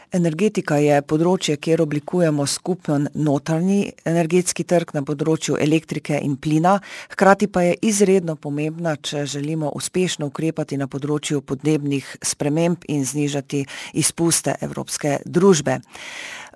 Energetika je področje, kjer oblikujemo skupen notranji energetski trg na področju elektrike in plina, hkrati pa je izredno pomembna, če želimo uspešno ukrepati na področju podnebnih sprememb in znižati izpuste evropske družbe.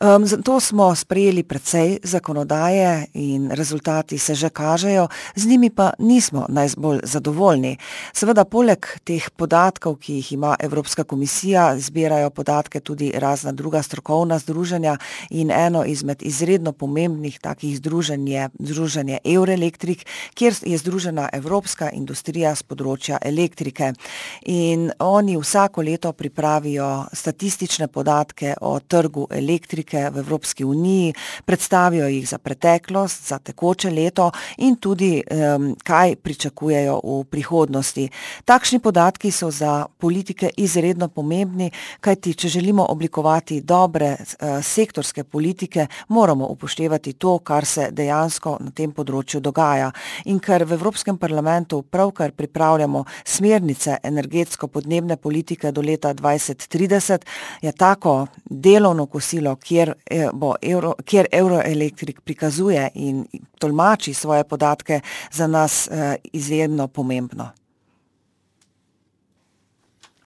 Zato smo sprejeli precej zakonodaje in rezultati se že kažejo, z njimi pa nismo najbolj zadovoljni. Seveda poleg teh podatkov, ki jih ima Evropska komisija, zbirajo podatke tudi razna druga strokovna združenja in eno izmed izredno pomembnih takih združenj je združenje Eurelektrik, kjer je združena evropska industrija s področja elektrike. In oni vsako leto pripravijo statistične podatke o trgu elektrike v Evropski uniji, predstavijo jih za preteklost, za tekoče leto in tudi, kaj pričakujejo v prihodnosti. Takšni podatki so za politike izredno pomembni, kajti če želimo oblikovati dobre, sektorske politike, moramo upoštevati to, kar se dejansko na tem področju dogaja. In ker v Evropskem parlamentu pravkar pripravljamo smernice energetsko-podnebne politike do leta 2030, je tako delovno kosilo, kjer Eurelektrik prikazuje in tolmači svoje podatke, za nas, izjemno pomembno.